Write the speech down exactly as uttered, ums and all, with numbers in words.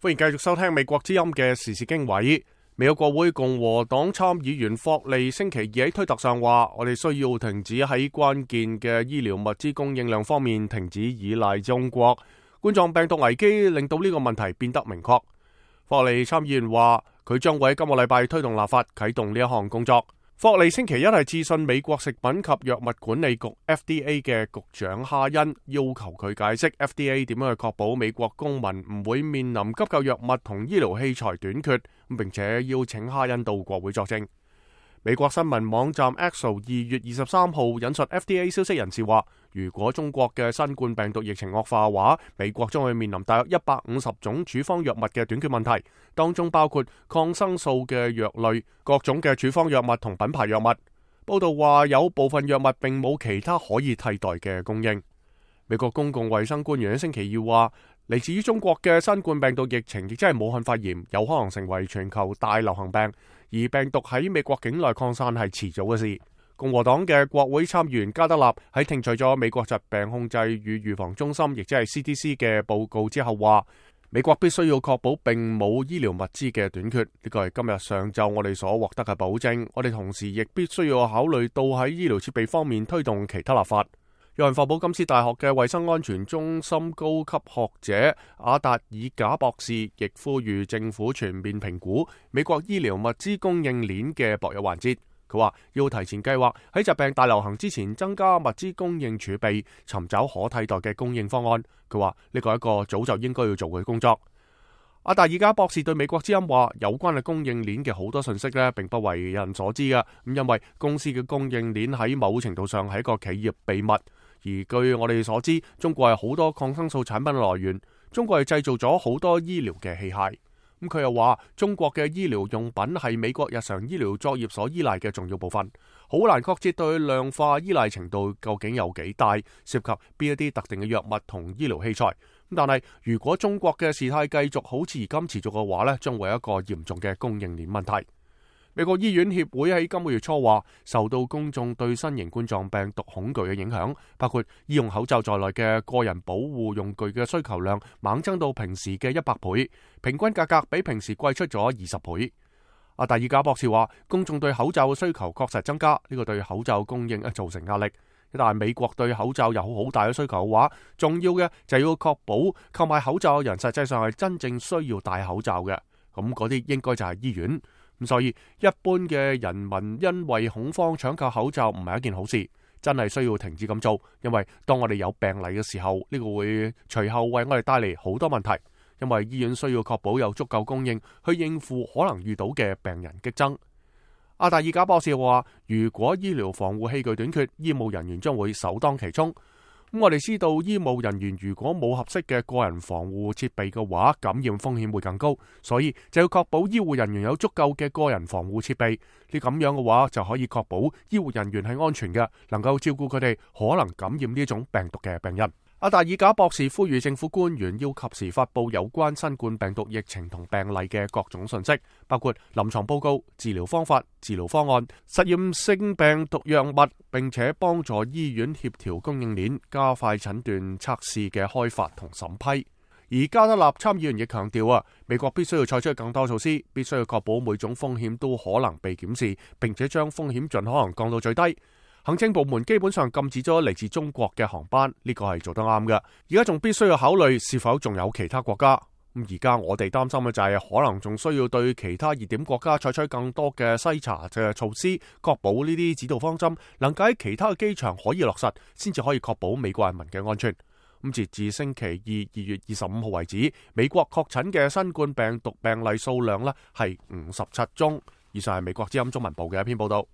歡迎繼續收聽美國之音嘅時事經緯。美國國會共和黨參議員霍利星期二喺推特上話，我哋需要停止喺關鍵嘅醫療物資供應量方面停止依賴中國。冠狀病毒危機令到呢個問題變得明確。霍利參議員話，佢將會喺今個禮拜推動立法啟動呢一項工作。霍利星期一係致信美國食品及藥物管理局 F D A 嘅局長哈恩，要求佢解釋 F D A 點樣去確保美國公民唔會面臨急救藥物同醫療器材短缺，並且邀請哈恩到國會作證。美國新聞網站 Axios 二月二十三號引述 F D A 消息人士話，如果中國嘅新冠病毒疫情惡化話，美國將會面臨大約一百五十種處方藥物嘅短缺問題，當中包括抗生素嘅藥類、各種嘅處方藥物同品牌藥物。報道話有部分藥物並冇其他可以替代嘅供應。美國公共衛生官員喺星期二話，嚟自於中國嘅新冠病毒疫情亦即係武漢肺炎，有可能成為全球大流行病，而病毒喺美國境內擴散係遲早嘅事。共和黨嘅國會參議員加德納喺聽取咗美國疾病控制與預防中心亦即係 C D C 嘅報告之後話，美國必須要確保並冇醫療物資嘅短缺，呢個係今日上晝我哋所獲得嘅保證。我哋同時亦必須要考慮到喺醫療設備方面推動其他立法。約翰霍普金斯大學嘅衛生安全中心高級學者阿達爾賈博士亦呼籲政府全面評估美國醫療物資供應鏈嘅薄弱環節。佢話要提前計劃喺疾病大流行之前增加物資供應儲備，尋找可替代嘅供應方案。佢話呢個係一個早就應該要做嘅工作。阿達爾賈博士對美國之音話，有關嘅供應鏈嘅好多信息呢並不為人所知嘅，咁因為公司嘅供應鏈喺某程度上係一個企業秘密。而據我哋所知，中國係好多抗生素產品嘅來源，中國係製造咗好多醫療嘅器械。咁佢又話，中國嘅醫療用品係美國日常醫療作業所依賴嘅重要部分，好難確切對量化依賴程度究竟有幾大，涉及邊一啲特定嘅藥物同醫療器材。但係如果中國嘅事態繼續好似而今持續嘅話呢，將會有一個嚴重嘅供應鏈問題。美國醫院協會喺今個月初話，受到公眾對新型冠狀病毒恐懼嘅影響，包括醫用口罩在內嘅個人保護用具嘅需求量猛增到平時嘅一百倍，平均價格比平時貴出咗二十倍。阿達爾賈博士話，公眾對口罩嘅需求確實增加，呢個對口罩供應造成壓力。但係美國對口罩有好大嘅需求嘅話，重要嘅就要確保購買口罩嘅人實際上係真正需要戴口罩嘅，咁嗰啲應該就係醫院。咁所以一般嘅人民因為恐慌搶購口罩唔係一件好事，真係需要停止咁做，因為當我哋有病例嘅時候，呢個會隨後為我哋帶嚟好多問題，因為醫院需要確保有足夠供應去應付可能遇到嘅病人激增。阿達爾賈博士話，如果醫療防護器具短缺，醫務人員將會首當其衝。咁我哋知道，醫務人員如果冇合適嘅個人防護設備嘅話，感染風險會更高，所以就要確保醫護人員有足夠嘅個人防護設備。呢咁樣嘅話，就可以確保醫護人員係安全嘅，能夠照顧佢哋可能感染呢種病毒嘅病人。阿達爾賈博士呼籲政府官員要及時發佈有關新冠病毒疫情同病例嘅各種信息，包括臨床報告、治療方法、治療方案、實驗性病毒藥物，並且幫助醫院協調供應鏈，加快診斷測試嘅開發同審批。而加德納參議員亦強調啊，美國必須要採取更多措施，必須要確保每種風險都可能被檢視，並且將風險盡可能降到最低。行政部門基本上禁止咗嚟自中國嘅航班，呢個係做得啱嘅。而家仲必須要考慮是否仲有其他國家。咁而家我哋擔心嘅就係可能仲需要對其他熱點國家採取更多嘅篩查嘅措施，確保呢啲指導方針能夠喺其他嘅機場可以落實，先至可以確保美國人民嘅安全。咁截至星期二二月二十五號為止，美國確診嘅新冠病毒病例數量呢係五十七宗。以上係美國之音中文部嘅一篇報道。